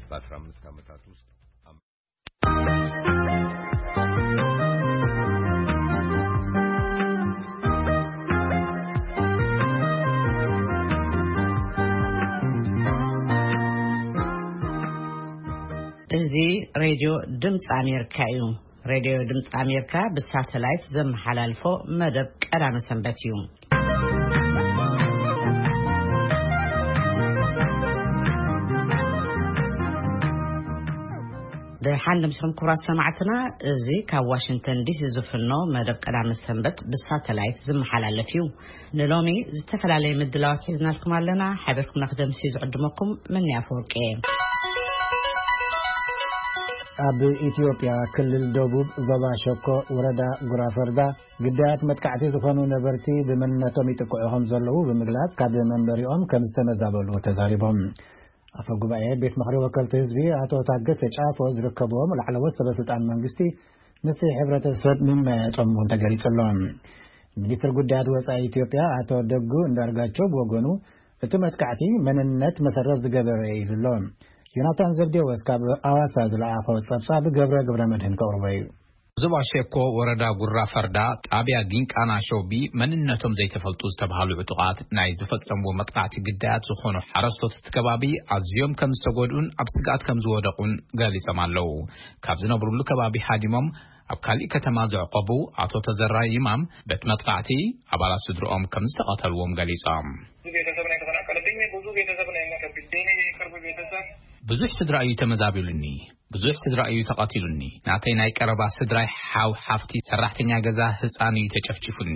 በ15 ዓመታት ውስጥ እዚ ሬድዮ ድምፂ ኣሜሪካ እዩ። ሬድዮ ድምፂ ኣሜሪካ ብሳተላይት ዘመሓላልፎ መደብ ቀዳመ ሰንበት እዩ። ደሓን ደምሲኹም ክቡራት ሰማዕትና፣ እዚ ካብ ዋሽንግተን ዲሲ ዝፍኖ መደብ ቀዳመ ሰንበት ብሳተላይት ዝመሓላለፍ እዩ። ንሎሚ ዝተፈላለየ ምድላዋት ሒዝናልኩም ኣለና። ሓቢርኩም ንክደምሲ ዝዕድመኩም መኒ ኣፈወርቂ እየ። ኣብ ኢትዮጵያ ክልል ደቡብ ዞባ ሸኮ ወረዳ ጉራፈርዳ ግዳያት መጥቃዕቲ ዝኾኑ ነበርቲ ብመንነቶም ይጥቅዑ ከም ዘለዉ ብምግላጽ ካብ መንበሪኦም ከም ዝተመዛበሉ ተዛሪቦም። ኣፈ ጉባኤ ቤት ምኽሪ ወከልቲ ህዝቢ ኣቶ ታገሰ ጫፎ ዝርከብዎም ላዕለዎት ሰበ ስልጣን መንግስቲ ምስቲ ሕብረተሰብ ምምያያጦም እውን ተገሊጹ ኣሎ። ሚኒስትር ጉዳያት ወጻኢ ኢትዮጵያ ኣቶ ደጉ እንዳርጋቸው ብወገኑ እቲ መጥቃዕቲ መንነት መሰረት ዝገበረ እዩ ኢሉ ኣሎ። ዮናታን ዘብዴዎስ ካብ ኣዋሳ ዝለኣኾ ጸብጻብ ገብረ ገብረ መድህን ከቕርቦ እዩ። ዞባ ሸኮ ወረዳ ጉራ ፈርዳ ጣብያ ጊንቃና ሾቢ መንነቶም ዘይተፈልጡ ዝተባሃሉ ዕጡቓት ናይ ዝፈጸምዎ መጥቃዕቲ ግዳያት ዝኾኑ ሓረስቶት እቲ ከባቢ ኣዝዮም ከም ዝተጎድኡን ኣብ ስግኣት ከም ዝወደቑን ገሊጾም ኣለዉ። ካብ ዝነብሩሉ ከባቢ ሃዲሞም ኣብ ካሊእ ከተማ ዘዕቆቡ ኣቶ ተዘራ ይማም በቲ መጥቃዕቲ ኣባላት ስድርኦም ከም ዝተቐተልዎም ገሊጾም። ብዙ ቤተሰብ ነው የተፈናቀለብኝ። ብዙ ቤተሰብ ነው የሞተብኝ። የኔ የቅርብ ቤተሰብ ብዙሕ ስድራ እዩ ተመዛቢሉኒ። ብዙሕ ስድራ እዩ ተቐቲሉኒ። ናተይ ናይ ቀረባ ስድራይ ሓው፣ ሓፍቲ፣ ሰራሕተኛ ገዛ፣ ህፃን እዩ ተጨፍጭፉኒ።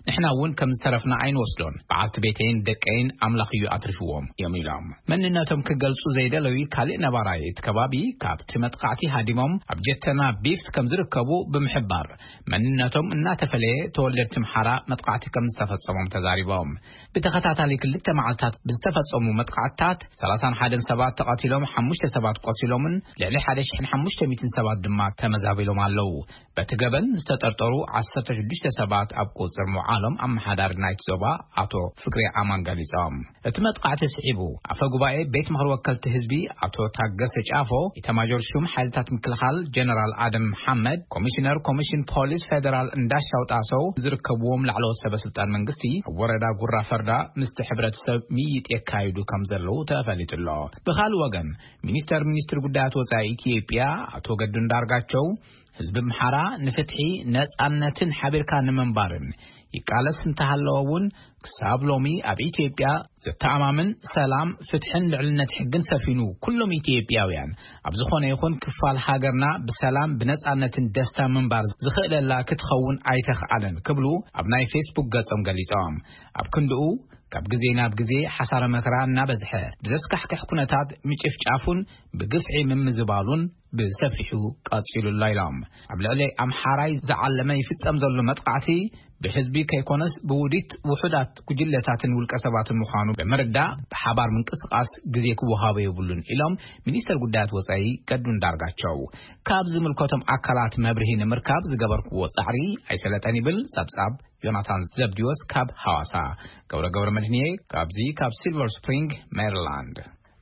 ንሕና እውን ከም ዝተረፍና ኣይንወስዶን። በዓልቲ ቤተይን ደቀይን ኣምላኽ እዩ ኣትሪፍዎም እዮም ኢሎም። መንነቶም ክገልጹ ዘይደለዩ ካልእ ነባራይ እቲ ከባቢ ካብቲ መጥቃዕቲ ሃዲሞም ኣብ ጀተና ቢፍት ከም ዝርከቡ ብምሕባር መንነቶም እናተፈለየ ተወለድቲ ምሓራ መጥቃዕቲ ከም ዝተፈጸሞም ተዛሪቦም። ብተኸታታሊ ክልተ መዓልታት ብዝተፈጸሙ መጥቃዕትታት ሰላሳን ሓደን ሰባት ተቐቲሎም፣ ሓሙሽተ ሰባት ቆሲሎምን ልዕሊ ሓደ ሽሕን ሓሙሽተ ሚእትን ሰባት ድማ ተመዛቢሎም ኣለዉ። በቲ ገበን ዝተጠርጠሩ ዓሰርተ ሽዱሽተ ሰባት ኣብ ቁጽር ምውዓሎም ኣመሓዳሪ ናይቲ ዞባ ኣቶ ፍቅሬ ኣማን ገሊጾም። እቲ መጥቃዕቲ ስዒቡ ኣፈ ጉባኤ ቤት ምኽሪ ወከልቲ ህዝቢ ኣቶ ታገሰ ጫፎ፣ ኢታማጆር ሹም ሓይልታት ምክልኻል ጀነራል ኣደም መሓመድ፣ ኮሚሽነር ኮሚሽን ፖሊስ ፌደራል እንዳሻው ጣሰው ዝርከብዎም ላዕለዎት ሰበ ስልጣን መንግስቲ ኣብ ወረዳ ጉራ ፈርዳ ምስቲ ሕብረተሰብ ምይይጥ የካይዱ ከም ዘለዉ ተፈሊጡ ኣሎ። ብኻልእ ወገን ሚኒስተር ሚኒስትሪ ጉዳያት ወጻኢ ኢትዮጵያ ኣቶ ገዱ እንዳርጋቸው ህዝቢ ኣምሓራ ንፍትሒ፣ ነጻነትን ሓቢርካ ንምንባርን ይቃለስ እንተሃለወ እውን ክሳብ ሎሚ ኣብ ኢትዮጵያ ዘተኣማምን ሰላም፣ ፍትሕን ልዕልነት ሕግን ሰፊኑ ኩሎም ኢትዮጵያውያን ኣብ ዝኾነ ይኹን ክፋል ሃገርና ብሰላም ብነጻነትን ደስታ ምንባር ዝኽእለላ ክትኸውን ኣይተኽኣለን ክብሉ ኣብ ናይ ፌስቡክ ገጾም ገሊጾም። ኣብ ክንድኡ ካብ ግዜ ናብ ግዜ ሓሳረ መከራ እናበዝሐ ብዘስካሕክሕ ኩነታት ምጭፍጫፉን ብግፍዒ ምምዝባሉን ብሰፊሑ ቀጺሉ ኣሎ ኢሎም። ኣብ ልዕሊ ኣምሓራይ ዝዓለመ ይፍጸም ዘሎ መጥቃዕቲ ብህዝቢ ከይኮነስ ብውዲት ውሑዳት ጉጅለታትን ውልቀ ሰባትን ምዃኑ ብምርዳእ ብሓባር ምንቅስቃስ ግዜ ክወሃቦ የብሉን ኢሎም ሚኒስተር ጉዳያት ወጻኢ ገዱ እንዳርጋቸው። ካብ ዝምልከቶም ኣካላት መብርሂ ንምርካብ ዝገበርክዎ ጻዕሪ ኣይሰለጠን ይብል ጸብጻብ ዮናታን ዘብዲዎስ ካብ ሃዋሳ። ገብረ ገብረ መድህንየ ካብዚ ካብ ሲልቨር ስፕሪንግ ሜሪላንድ።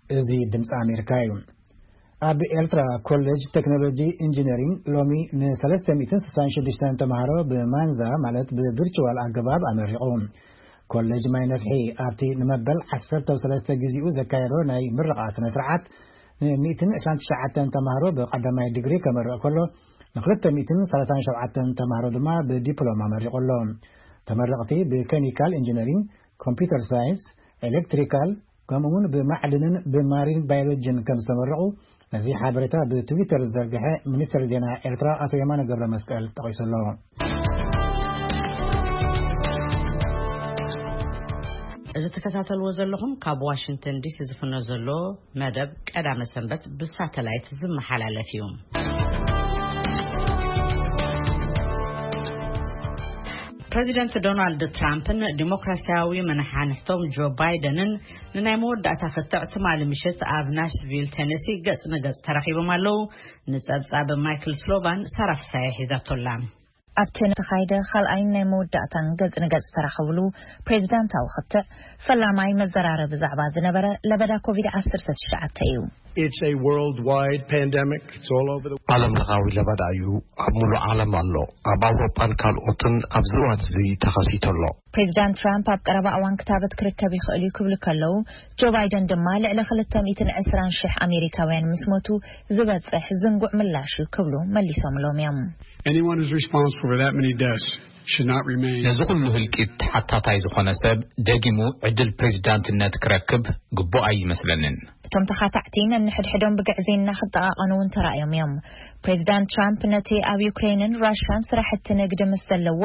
እዚ ድምፂ ኣሜሪካ እዩ። ኣብ ኤርትራ ኮሌጅ ቴክኖሎጂ ኢንጂነሪንግ ሎሚ ን366 ተምሃሮ ብማንዛ ማለት ብቪርቹዋል ኣገባብ ኣመሪቑ። ኮሌጅ ማይ ነፍሒ ኣብቲ ንመበል ዓሰርተ ሰለስተ ግዜኡ ዘካየዶ ናይ ምርቓ ስነ ስርዓት ን129 ተምሃሮ ብቀዳማይ ዲግሪ ከመርቕ ከሎ ን237 ተምሃሮ ድማ ብዲፕሎማ መሪቑ ኣሎ። ተመረቕቲ ብኬሚካል ኢንጂነሪንግ፣ ኮምፒውተር ሳይንስ፣ ኤሌክትሪካል ከምኡ እውን ብማዕድንን ብማሪን ባዮሎጂን ከም ዝተመረቑ ነዚ ሓበሬታ ብትዊተር ዝዘርግሐ ሚኒስትር ዜና ኤርትራ ኣቶ የማነ ገብረ መስቀል ጠቒሱ ኣሎ። እዚ ትከታተልዎ ዘለኹም ካብ ዋሽንግተን ዲሲ ዝፍኖ ዘሎ መደብ ቀዳመ ሰንበት ብሳተላይት ዝመሓላለፍ እዩ። ፕሬዚደንት ዶናልድ ትራምፕን ዲሞክራሲያዊ መነሓንሕቶም ጆ ባይደንን ንናይ መወዳእታ ክትዕ ትማሊ ምሽት ኣብ ናሽቪል ቴነሲ ገጽ ንገጽ ተራኺቦም ኣለዉ። ንጸብጻብ ማይክል ስሎቫን ሳራ ፍሳየ ሒዛቶላ። ኣብቲ ንተኻይደ ካልኣይን ናይ መወዳእታን ገጽ ንገጽ ተራኸብሉ ፕሬዚዳንታዊ ክትዕ ፈላማይ መዘራረቢ ዛዕባ ዝነበረ ለበዳ ኮቪድ ዓሰርተ ትሽዓተ እዩ። It's a worldwide pandemic. It's all over the ዓለም ለኻዊ ለበዳ እዩ። ኣብ ሙሉእ ዓለም ኣሎ። ኣብ ኣውሮጳን ካልኦትን ኣብዚ እዋን እዚ ተኸሲቱ ኣሎ። ፕሬዚዳንት ትራምፕ ኣብ ቀረባ እዋን ክታበት ክርከብ ይኽእል እዩ ክብሉ ከለዉ፣ ጆ ባይደን ድማ ልዕሊ ክልተ ሚእትን ዕስራን ሽሕ ኣሜሪካውያን ምስ ሞቱ ዝበጽሕ ዝንጉዕ ምላሽ እዩ ክብሉ መሊሶምሎም እዮም። Anyone who's responsible for that many deaths should not remain. ነዚ ኩሉ ህልቂት ተሓታታይ ዝኾነ ሰብ ደጊሙ ዕድል ፕሬዚዳንትነት ክረክብ ግቡእ ኣይመስለንን። እቶም ተኻታዕቲ ነንሕድሕዶም ብግዕዜና ክጠቓቐኑ እውን ተራእዮም እዮም። ፕሬዚዳንት ትራምፕ ነቲ ኣብ ዩክሬንን ራሽያን ስራሕቲ ንግዲ ምስ ዘለዎ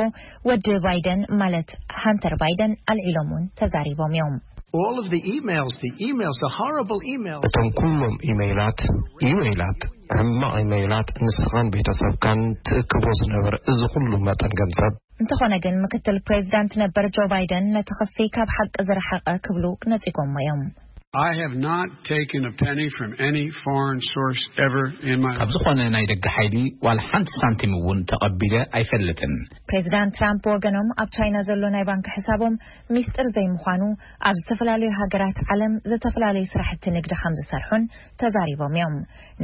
ወዲ ባይደን ማለት ሃንተር ባይደን ኣልዒሎም እውን ተዛሪቦም እዮም። All of the emails, the emails, the horrible emails. እቶም ኩሎም ኢሜይላት ኢሜይላት ሕማቕ ኢሜይላት ንስኻን ቤተሰብካን ትእክቦ ዝነበር እዚ ኩሉ መጠን ገንዘብ እንተኾነ ግን ምክትል ፕሬዚዳንት ነበር ጆ ባይደን ነቲ ክሲ ካብ ሓቂ ዝረሓቐ ክብሉ ነጺጎሞ እዮም። I have not taken a penny from any foreign source ever in my ካብ ዝኾነ ናይ ደገ ሓይሊ ዋላ ሓንቲ ሳንቲም እውን ተቐቢለ ኣይፈልጥን። ፕሬዚዳንት ትራምፕ ወገኖም ኣብ ቻይና ዘሎ ናይ ባንክ ሕሳቦም ሚስጥር ዘይምዃኑ፣ ኣብ ዝተፈላለዩ ሃገራት ዓለም ዝተፈላለዩ ስራሕቲ ንግዲ ከም ዝሰርሑን ተዛሪቦም እዮም።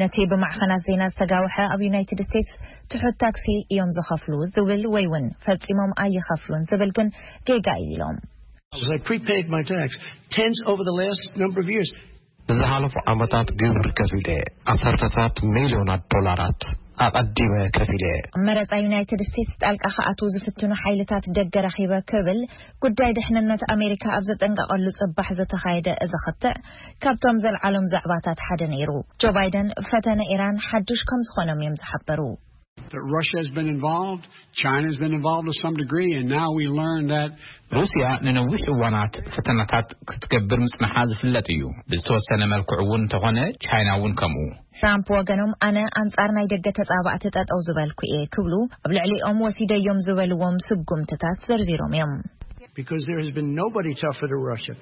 ነቲ ብማዕኸናት ዜና ዝተጋውሐ ኣብ ዩናይትድ ስቴትስ ትሑት ታክሲ እዮም ዝኸፍሉ ዝብል ወይ እውን ፈጺሞም ኣይኸፍሉን ዝብል ግን ጌጋ እዩ ኢሎም። I prepaid my tax tens over the last number of years. ብዝሓለፉ ዓመታት ግብሪ ከፊለ ዓሰርተታት ሚልዮናት ዶላራት ኣቐዲመ ከፊለ። መረፃ ዩናይትድ ስቴትስ ጣልቃ ክኣትዉ ዝፍትኑ ሓይልታት ደገ ረኺበ ክብል ጉዳይ ድሕንነት ኣሜሪካ ኣብ ዘጠንቀቐሉ ፅባሕ ዝተኻየደ እዚ ክትዕ ካብቶም ዘልዓሎም ዛዕባታት ሓደ ነይሩ። ጆ ባይደን ፈተነ ኢራን ሓድሽ ከም ዝኾኖም እዮም ዝሓበሩ። That Russia has been involved, China has been involved to some degree, and now we learn that ሩስያ ንነዊሕ እዋናት ፈተናታት ክትገብር ምጽንሓ ዝፍለጥ እዩ። ብዝተወሰነ መልክዑ እውን እንተኾነ ቻይና እውን ከምኡ። ትራምፕ ወገኖም ኣነ ኣንጻር ናይ ደገ ተጻባእቲ ጠጠው ዝበልኩ እየ ክብሉ ኣብ ልዕሊኦም ወሲደዮም ዝበልዎም ስጉምትታት ዘርዚሮም እዮም። Because there has been nobody tougher to Russia.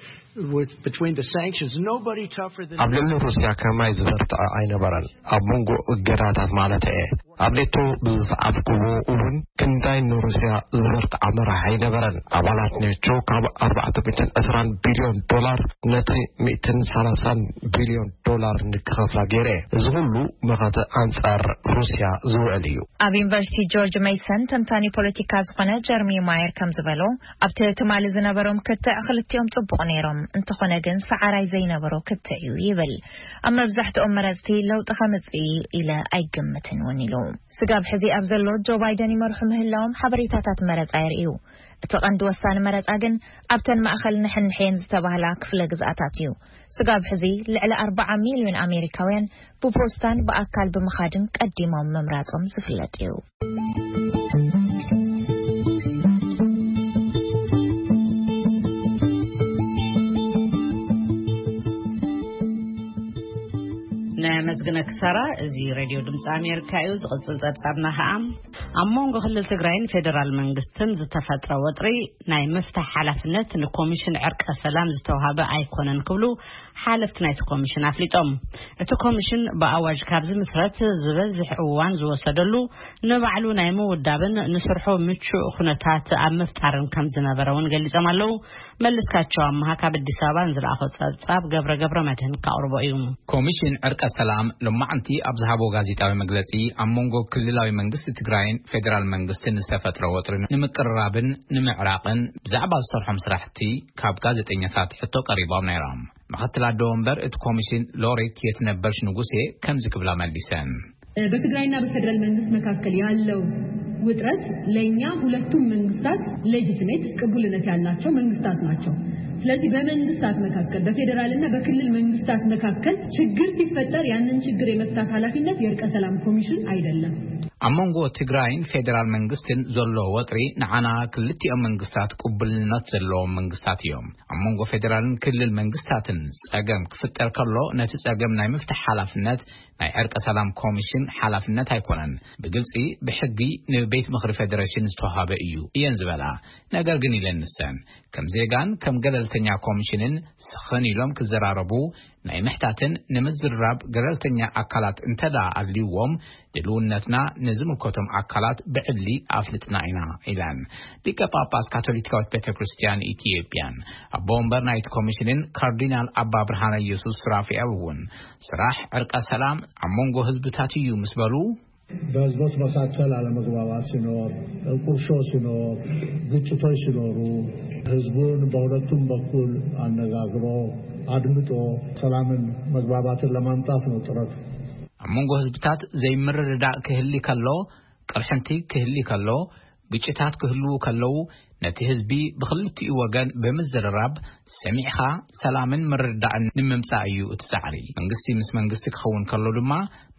With, between the sanctions, nobody tougher than ኣብ ልዕሊ ሩስያ ከማይ ዝበርትዐ ኣይነበረን። ኣብ መንጎ እገዳታት ማለት እየ። ኣብ ኔቶ ብዝሰዓብኩዎ እውን ክንዳይ ንሩስያ ዝበርትዐ መራሕ ኣይነበረን። ኣባላት ኔቶ ካብ ኣርባዕተ ሚእትን ዕስራን ቢልዮን ዶላር ነቲ ሚእትን ሰላሳን ቢልዮን ዶላር ንክኸፍላ ገይረ። እዚ ኩሉ መኸተ ኣንጻር ሩስያ ዝውዕል እዩ። ኣብ ዩኒቨርሲቲ ጆርጅ ሜይሰን ተንታኒ ፖለቲካ ዝኾነ ጀርሚ ማየር ከም ዝበሎ ኣብቲ ትማሊ ዝነበሮም ክትዕ ክልቲኦም ጽቡቕ ነይሮም፣ እንተኾነ ግን ሰዓራይ ዘይነበሮ ክትዕ እዩ ይብል። ኣብ መብዛሕትኦም መረጽቲ ለውጢ ከምጽእ እዩ ኢለ ኣይግምትን እውን ኢሉ። ስጋብ ሕዚ ኣብ ዘሎ ጆ ባይደን ይመርሑ ምህላዎም ሓበሬታታት መረጻ የርእዩ። እቲ ቀንዲ ወሳኒ መረጻ ግን ኣብተን ማእኸል ንሕንሕየን ዝተባህላ ክፍለ ግዝኣታት እዩ። ስጋብ ሕዚ ልዕሊ ኣርባዓ ሚልዮን ኣሜሪካውያን ብፖስታን ብኣካል ብምኻድን ቀዲሞም ምምራጾም ዝፍለጥ እዩ። ነመስግነኪ ሳራ። እዚ ሬድዮ ድምፂ ኣሜሪካ እዩ። ዝቕፅል ፀብፃብና ከዓ ኣብ መንጎ ክልል ትግራይን ፌዴራል መንግስትን ዝተፈጥረ ወጥሪ ናይ ምፍታሕ ሓላፍነት ንኮሚሽን ዕርቀ ሰላም ዝተዋሃበ ኣይኮነን ክብሉ ሓለፍቲ ናይቲ ኮሚሽን ኣፍሊጦም። እቲ ኮሚሽን ብኣዋጅ ካብ ዝምስረት ዝበዝሕ እዋን ዝወሰደሉ ንባዕሉ ናይ ምውዳብን ንስርሑ ምቹእ ኩነታት ኣብ ምፍጣርን ከም ዝነበረ እውን ገሊጾም ኣለዉ። መለስካቸው ኣምሃ ካብ ኣዲስ ኣበባ ንዝለኣኾ ጸብጻብ ገብረ ገብረ መድህን ከቕርቦ እዩ። ኮሚሽን ዕርቀ ሰላም ሎማዕንቲ ኣብ ዝሃቦ ጋዜጣዊ መግለጺ ኣብ መንጎ ክልላዊ መንግስቲ ትግራይን ፌዴራል መንግስትን ዝተፈጥረ ወጥሪ ንምቅርራብን ንምዕራቕን ብዛዕባ ዝሰርሖም ስራሕቲ ካብ ጋዜጠኛታት ሕቶ ቀሪቦም ነይሮም። ምክትል ኣደ ወንበር እቲ ኮሚሽን ሎሬት የትነበርሽ ንጉሴ ከምዚ ክብላ መሊሰን። በትግራይና በፌደራል መንግስት መካከል ያለው ውጥረት ለእኛ ሁለቱም መንግስታት ሌጂቲሜት ቅቡልነት ያላቸው መንግስታት ናቸው። ስለዚህ በመንግስታት መካከል በፌዴራልና በክልል መንግስታት መካከል ችግር ሲፈጠር ያንን ችግር የመፍታት ኃላፊነት የእርቀ ሰላም ኮሚሽን አይደለም። ኣብ መንጎ ትግራይን ፌዴራል መንግስትን ዘሎ ወጥሪ ንዓና ክልቲኦም መንግስታት ቅቡልነት ዘለዎም መንግስታት እዮም። ኣብ መንጎ ፌዴራልን ክልል መንግስታትን ጸገም ክፍጠር ከሎ ነቲ ጸገም ናይ ምፍታሕ ሓላፍነት ናይ ዕርቀ ሰላም ኮሚሽን ሓላፍነት ኣይኮነን። ብግልጺ ብሕጊ ንቤት ምኽሪ ፌዴሬሽን ዝተዋሃበ እዩ እየን ዝበላ። ነገር ግን ኢለን ንሰን ከም ዜጋን ከም ገለል ተኛ ኮሚሽንን ስኽን ኢሎም ክዘራረቡ ናይ ምሕታትን ንምዝርራብ ገለልተኛ ኣካላት እንተደኣ ኣልይዎም፣ ድልውነትና ንዝምልከቶም ኣካላት ብዕሊ ኣፍልጥና ኢና ኢለን። ሊቀ ጳጳስ ካቶሊካዊት ቤተ ክርስቲያን ኢትዮጵያን ኣቦ ወንበር ናይቲ ኮሚሽንን ካርዲናል ኣባ ብርሃነ ኢየሱስ ሱራፊኤል እውን ስራሕ ዕርቀ ሰላም ኣብ መንጎ ህዝብታት እዩ ምስ በሉ፣ በህዝቦች መካከል አለመግባባት ሲኖር፣ ቁርሾ ሲኖር፣ ግጭቶች ሲኖሩ ህዝቡን በሁለቱም በኩል አነጋግሮ አድምጦ ሰላምን መግባባትን ለማምጣት ነው ጥረቱ። ኣብ መንጎ ህዝብታት ዘይምርድዳእ ክህሊ ከሎ፣ ቅርሕንቲ ክህሊ ከሎ፣ ግጭታት ክህልዉ ከለዉ፣ ነቲ ህዝቢ ብኽልቲኡ ወገን ብምዝርራብ ሰሚዕኻ ሰላምን ምርድዳእን ንምምጻእ እዩ እቲ ጻዕሪ። መንግስቲ ምስ መንግስቲ ክኸውን ከሎ ድማ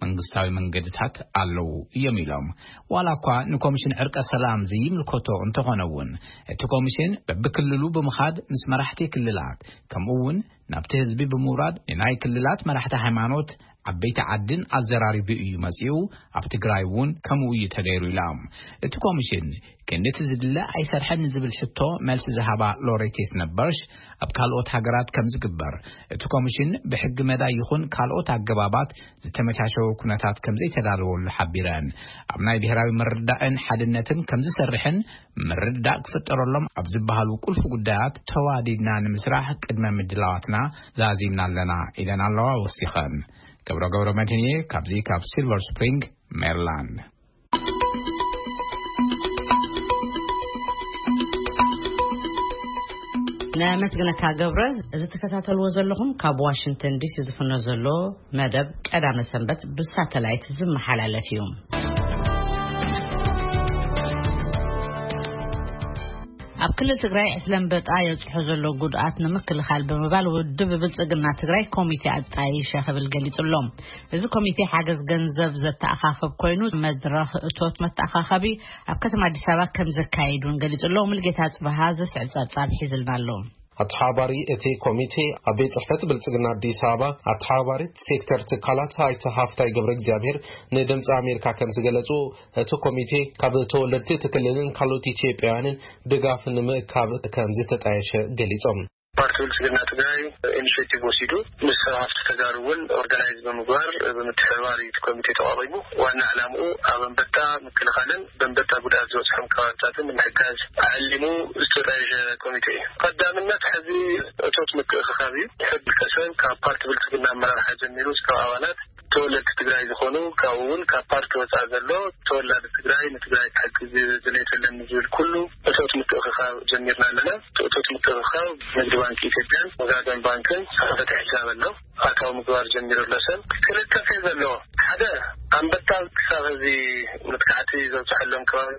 መንግስታዊ መንገድታት ኣለዉ እዮም ኢሎም። ዋላ እኳ ንኮሚሽን ዕርቀ ሰላም ዘይምልከቶ እንተኾነ እውን፣ እቲ ኮሚሽን በብክልሉ ብምኻድ ምስ መራሕቲ ክልላት፣ ከምኡ እውን ናብቲ ህዝቢ ብምውራድ ንናይ ክልላት መራሕቲ ሃይማኖት፣ ዓበይቲ ዓድን ኣዘራሪቡ እዩ መጺኡ። ኣብ ትግራይ እውን ከምኡ እዩ ተገይሩ ኢሎም። እቲ ኮሚሽን ክንድቲ ዝድለ ኣይሰርሐን ንዝብል ሕቶ መልሲ ዝሃባ ሎሬቴስ ነበርሽ፣ ኣብ ካልኦት ሃገራት ከም ዝግበር እቲ ኮሚሽን ብሕጊ መዳይ ይኹን ካልኦት ኣገባባት ዝተመቻቸወ ኩነታት ከም ዘይተዳለወሉ ሓቢረን፣ ኣብ ናይ ብሔራዊ ምርዳእን ሓድነትን ከም ዝሰርሕን ምርዳእ ክፍጠረሎም ኣብ ዝበሃሉ ቁልፊ ጉዳያት ተዋዲድና ንምስራሕ ቅድመ ምድላዋትና ዛዚምና ኣለና ኢለን ኣለዋ። ወሲኸን ገብረ ገብረ መድህንየ ካብዚ ካብ ሲልቨር ስፕሪንግ ሜሪላንድ። ነመስግነካ ገብረ። እዚ ትከታተልዎ ዘለኹም ካብ ዋሽንግተን ዲሲ ዝፍኖ ዘሎ መደብ ቀዳመ ሰንበት ብሳተላይት ዝመሓላለፍ እዩ። ኣብ ክልል ትግራይ ዕስለ ኣንበጣ የብፅሖ ዘሎ ጉድኣት ንምክልኻል ብምባል ውድብ ብልፅግና ትግራይ ኮሚቴ ኣጣይሸ ክብል ገሊፁ ኣሎ። እዚ ኮሚቴ ሓገዝ ገንዘብ ዘተኣኻኸብ ኮይኑ፣ መድረኽ እቶት መተኣኻኸቢ ኣብ ከተማ ኣዲስ ኣበባ ከም ዘካይድ እውን ገሊፁ ኣሎ። ሙልጌታ ጽበሃ ዘስዕብ ጸብጻብ ሒዝልና ኣሎ። ኣተሓባሪ እቲ ኮሚቴ ኣብ ቤት ጽሕፈት ብልጽግና ኣዲስ ኣበባ ኣተሓባሪት ሴክተር ትካላት ኣይተ ሃፍታይ ገብረ እግዚኣብሔር ንድምፂ ኣሜሪካ ከም ዝገለጹ፣ እቲ ኮሚቴ ካብ ተወለድቲ እቲ ክልልን ካልኦት ኢትዮጵያውያንን ድጋፍ ንምእካብ ከም ዝተጣየሸ ገሊጾም። ፓርቲ ብልጽግና ትግራይ ኢኒሼቲቭ ወሲዱ ምስ ሰብ ሃፍቲ ተጋሩ እውን ኦርጋናይዝ ብምግባር ብምትሕብባር እዩ እቲ ኮሚቴ ተቋቒሙ። ዋና ዕላምኡ ኣብ ኣንበጣ ምክልኻልን በንበጣ ጉድኣት ዝበፅሖም ከባብታትን ንምሕጋዝ ዓሊሙ ዝተጣየሸ ኮሚቴ እዩ። ቀዳምነት ሕዚ እቶት ምትእኽኻብ እዩ። ሕድ ከሰብ ካብ ፓርቲ ብልጽግና ኣመራርሓ ጀሚሩ እስካብ ኣባላት ተወለድቲ ትግራይ ዝኾኑ፣ ካብኡ እውን ካብ ፓርቲ ወፃኢ ዘሎ ተወላዲ ትግራይ ንትግራይ ክሕግዝ ድሌት ኣለኒ ዝብል ኩሉ እቶት ምትእኽኻብ ጀሚርና ኣለና። እቶት ምትእኽኻብ ንግዲ ባንክ ኢትዮጵያን ወጋገን ባንክን ዝኸፈተ ሕሳብ ኣሎ። ኣታዊ ምግባር ጀሚሩ ኣሎ። ሰብ ክልተ ፌዝ ኣለዎ። ሓደ ኣንበጣ ክሳብ እዚ መጥቃዕቲ ዘብፅሐሎም ከባቢ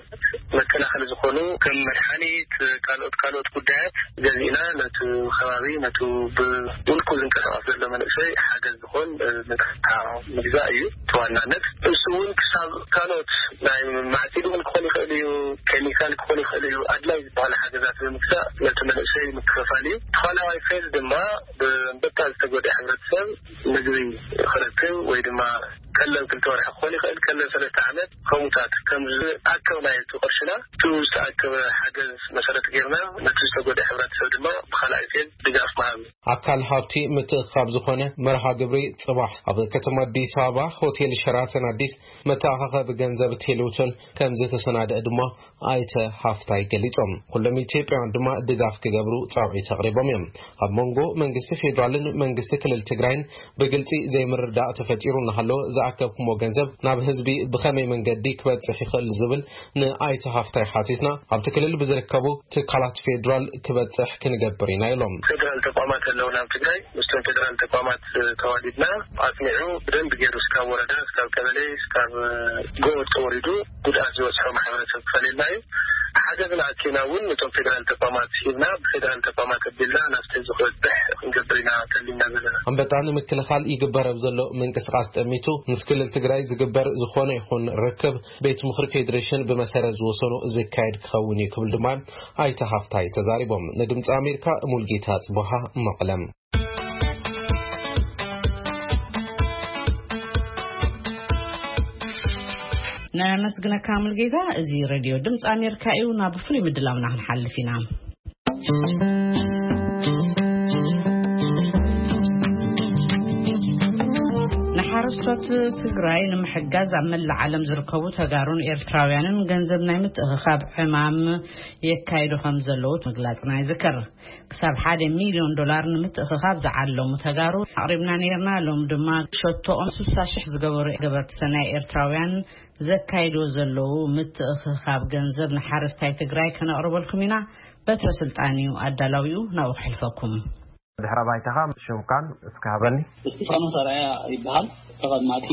መከላኸሊ ዝኾኑ ከም መድሓኒት፣ ካልኦት ካልኦት ጉዳያት ገዚእና ነቲ ከባቢ ነቲ ብውልቁ ዝንቀሳቐስ ዘሎ መንእሰይ ሓገዝ ዝኾን መጥቃዕቲ ምግዛእ እዩ እቲ ዋናነት። እሱ እውን ክሳብ ካልኦት ናይ ማዕፂድ እውን ክኾን ይኽእል እዩ፣ ኬሚካል ክኾን ይኽእል እዩ። ኣድላይ ዝበሃሉ ሓገዛት ብምግዛእ ነቲ መንእሰይ ምክፍፋል እዩ። ተኻላዋይ ፌዝ ድማ ብኣንበጣ ዝተጎድአ ሕብረተሰብ ምግቢ ክረክብ ወይ ድማ ቀለብ ክልተ ወርሒ ክኾን ይኽእል፣ ቀለብ ሰለስተ ዓመት ከምኡታት ከም ዝኣከብናዮ እቲ ቅርሽና፣ እቲ ዝተኣከበ ሓገዝ መሰረት ጌርና ነቲ ዝተጎድአ ሕብረተሰብ ድማ ብኻልኣይ ፌዝ ድጋፍ ምሃብ። ኣካል ሃብቲ ምትእኽኻብ ዝኾነ መርሃ ግብሪ ጽባሕ ኣብ ከተማ ኣዲስ ኣበባ ሆቴል ሸራተን ኣዲስ መተኣኻኸቢ ገንዘብ ቴሌቶን ከም ዝተሰናደአ ድማ ኣይተ ሃፍታይ ገሊጾም። ኩሎም ኢትዮጵያውያን ድማ ድጋፍ ክገብሩ ጻውዒት ኣቕሪቦም እዮም። ኣብ መንጎ መንግስቲ ፌዴራልን መንግስቲ ክልል ትግራይን ብግልጺ ዘይምርዳእ ተፈጢሩ እናሃለወ፣ ዝኣከብኩሞ ገንዘብ ናብ ህዝቢ ብኸመይ መንገዲ ክበጽሕ ይኽእል ዝብል ንኣይተ ሃፍታይ ሓቲትና፣ ኣብቲ ክልል ብዝርከቡ ትካላት ፌዴራል ክበጽሕ ክንገብር ኢና ኢሎም። ፌዴራል ተቋማት ኣለውና ኣብ ትግራይ። ምስቶም ፌዴራል ተቋማት ተዋዲድና ኣጽኒዑ ብደንብ ገይሩ እስካብ ወረዳ፣ እስካብ ቀበሌ፣ እስካብ ጎጥ ተወሪዱ ጉድኣት ዝበፅሖ ማሕበረሰብ ክፈልየልና እዩ። ሓገዝና ኣኪና እውን ነቶም ፌዴራል ተቋማት ሂብና፣ ብፌዴራል ተቋማት ኣቢልና ናብቲ ዝኽበፅሕ ክንገብር ኢና ተሊምና ዘለና። ኣንበጣ ንምክልኻል ይግበር ኣብ ዘሎ ምንቅስቓስ ጠሚቱ፣ ምስ ክልል ትግራይ ዝግበር ዝኾነ ይኹን ርክብ ቤት ምኽሪ ፌዴሬሽን ብመሰረት ዝወሰኖ ዝካየድ ክኸውን እዩ ክብል ድማ ኣይተ ሃፍታይ ተዛሪቦም። ንድምፂ ኣሜሪካ ሙልጌታ ጽቡሃ መቐለም። ነመስግነካ ሙልጌታ። እዚ ሬድዮ ድምፂ ኣሜሪካ እዩ። ናብ ፍሉይ ምድላውና ክንሓልፍ ኢና። ብጾት ትግራይ ንምሕጋዝ ኣብ መላእ ዓለም ዝርከቡ ተጋሩን ኤርትራውያንን ገንዘብ ናይ ምትእኽኻብ ዕማም የካይዱ ከም ዘለዉ ምግላጽና ይዝከር። ክሳብ ሓደ ሚልዮን ዶላር ንምትእኽኻብ ዝዓለሙ ተጋሩ ኣቕሪብና ነይርና። ሎም ድማ ሸቶኦም ስሳ ሽሕ ዝገበሩ ገበርቲ ሰናይ ኤርትራውያን ዘካይድዎ ዘለዉ ምትእኽኻብ ገንዘብ ንሓረስታይ ትግራይ ከነቕርበልኩም ኢና። በትረ ስልጣን እዩ ኣዳላዊኡ፣ ናብኡ ክሕልፈኩም። ድሕረ ባይታኻ ሽምካን እስኪ ሃበኒ። እስጢፋኖስ ኣርኣያ ይበሃል። ተቐማጢ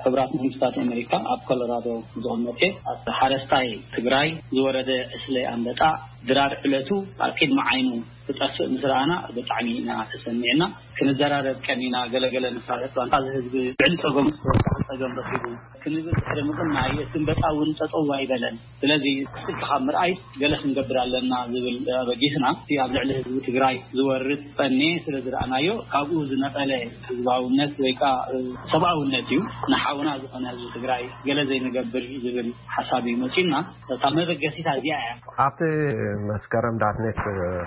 ሕቡራት መንግስታት ኣሜሪካ ኣብ ኮሎራዶ ዝቕመጥ እየ። ኣብ ሓረስታይ ትግራይ ዝወረደ ዕስለ ኣንበጣ ድራር ዕለቱ ኣብ ቅድሚ ዓይኑ ክጠፍእ ምስ ረኣና ብጣዕሚ ኢና ተሰሚዕና። ክንዘራረብ ቀኒና፣ ገለገለ ንሳተፍ ባንታ እዚ ህዝቢ ልዕሊ ጸገሙ ዝተወሰነ ጸገም ረኺቡ ክንብል ድሕሪ ምቕናይ፣ እቲ ኣንበጣ እውን ጠጠው ኣይበለን። ስለዚ ስልክኻ ምርኣይ ገለ ክንገብር ኣለና ዝብል ኣበጊስና፣ እቲ ኣብ ልዕሊ ህዝቢ ትግራይ ዝወርድ ጸኔ ስለ ዝረኣናዮ፣ ካብኡ ዝነቐለ ህዝባውነት ወይ ከዓ ሰብኣውነት እዩ። ንሓውና ዝኾነ ህዝቢ ትግራይ ገለ ዘይንገብር ዝብል ሓሳብ እዩ መፂኡና። እታ መበገሲታ እዚኣ እያ። ኣብቲ መስከረም ዳትኔት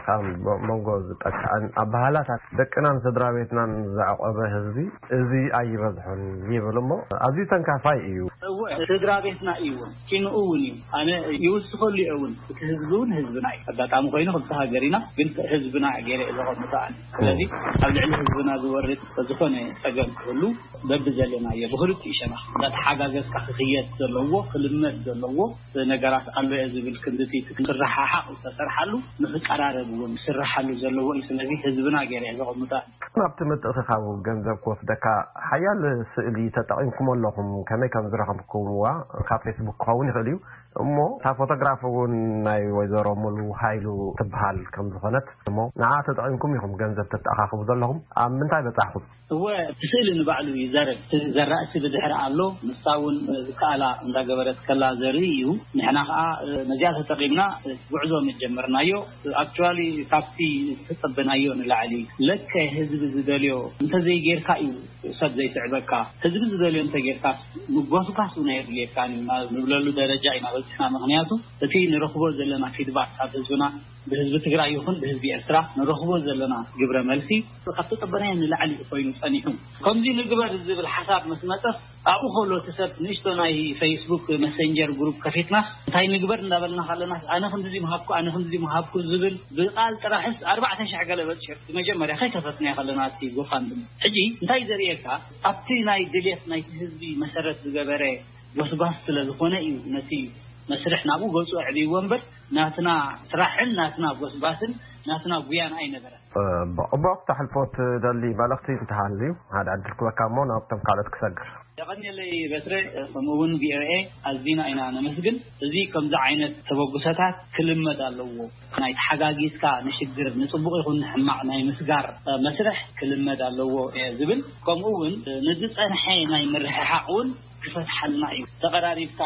ካብ መንጎ ዝጠቅዐን ኣባህላታት ደቅናን ስድራ ቤትናን ዘዕቆበ ህዝቢ እዚ ኣይበዝሖን ይብል እሞ፣ ኣዝዩ ተንካፋይ እዩ። እወ፣ ስድራ ቤትና እዩ እውን፣ ኪንኡ እውን እዩ። ኣነ ይውስኸሉ እየ እውን። እቲ ህዝቢ እውን ህዝብና እዩ። ኣጋጣሚ ኮይኑ ክልተ ሃገር ኢና፣ ግን ህዝብና ገይረ እየ ዘቐምጦ ኣነ። ስለዚ ኣብ ልዕሊ ህዝብና ዝወርድ ዝኾነ ጸገም ክህሉ በብዘለናዮ ብክልቲኡ ሸነኽ እንዳተሓጋገዝካ ክኽየድ ዘለዎ፣ ክልመድ ዘለዎ ነገራት ኣሎ እየ ዝብል ክንድቲ ክረሓሓቕ ዝተሰርሓሉ፣ ንክቀራረብ እውን ዝስርሓሉ ዘለዎ እዩ። ስለዚ ህዝብና ገይረ እየ ዘቐምጦ። ናብቲ ምትእኽኻብ ገንዘብ ክወስደካ ሓያል ስእሊ ተጠቒምኩም ኣለኹም። ከመይ ከም ዝረኸብኩምዋ ካብ ፌስቡክ ክኸውን ይኽእል እዩ። እሞ እታ ፎቶግራፍ እውን ናይ ወይዘሮ ሙሉ ሃይሉ ትበሃል ከም ዝኾነት፣ እሞ ንዓ ተጠቒምኩም ኢኹም ገንዘብ ተተኣኻኽቡ ዘለኹም። ኣብ ምንታይ በጻሕኹም? እወ፣ እቲ ስእሊ ንባዕሉ ይዛረብ። እቲ ዘራእቲ ብድሕሪ ኣሎ፣ ንሳ እውን ዝከኣላ እንዳገበረት ከላ ዘርኢ እዩ። ንሕና ከዓ ነዚኣ ተጠቒምና ጉዕዞ መጀመርናዮ። ኣክቹዋሊ ካብቲ ዝተጸበናዮ ንላዕሊ፣ ለከ ህዝቢ ዝደልዮ እንተዘይጌርካ እዩ ሰብ ዘይስዕበካ። ህዝቢ ዝደልዮ እንተጌርካ ምጎስጓስ እውን ኣየድልየካን እዩ ንብለሉ ደረጃ ኢና በፂሕና። ምክንያቱ እቲ ንረኽቦ ዘለና ፊድባክ ካብ ህዝብና፣ ብህዝቢ ትግራይ ይኹን ብህዝቢ ኤርትራ ንረኽቦ ዘለና ግብረ መልሲ ካብ ተጸበናዮ ንላዕሊ እዩ ኮይኑ ጸኒሑ። ከምዚ ንግበር ዝብል ሓሳብ ምስ መጸ፣ ኣብኡ ከሎ እቲ ሰብ ንእሽቶ ናይ ፌስቡክ መሰንጀር ግሩፕ ከፊትና እንታይ ንግበር እንዳበልና ከለና፣ ኣነ ክንድዚ ምሃብኩ፣ ኣነ ክንድዚ ምሃብኩ ዝብል ብቃል ጥራሕስ ኣርባዕተ ሽሕ ገለ በፂሑ። መጀመርያ ከይከፈትና ከለና እቲ ጎፋንድሚ። ሕጂ እንታይ ዘርእየካ፣ ኣብቲ ናይ ድሌት ናይቲ ህዝቢ መሰረት ዝገበረ ጎስጓስ ስለ ዝኾነ እዩ ነቲ መስርሕ ናብኡ ገጹ ኣዕብይዎ እምበር፣ ናትና ስራሕን ናትና ጎስጓስን ናትና ጉያን ኣይነበረን። ጽቡቕ። እሞ ክተሕልፎ ትደሊ መልእኽቲ እንተሃልዩ ሓደ ዕድል ክበካ እሞ ናብቶም ካልኦት ክሰግር። የቐንየለይ በትረ፣ ከምኡ እውን ቪኦኤ ኣዚና ኢና ነመስግን። እዚ ከምዚ ዓይነት ተበግሶታት ክልመድ ኣለዎ። ናይ ተሓጋጊዝካ ንሽግር፣ ንጽቡቕ ይኹን ንሕማቕ ናይ ምስጋር መስርሕ ክልመድ ኣለዎ እየ ዝብል። ከምኡ እውን ንዝጸንሐ ናይ ምርሕሓቕ እውን ክፈትሓልና እዩ። ተቐራሪብካ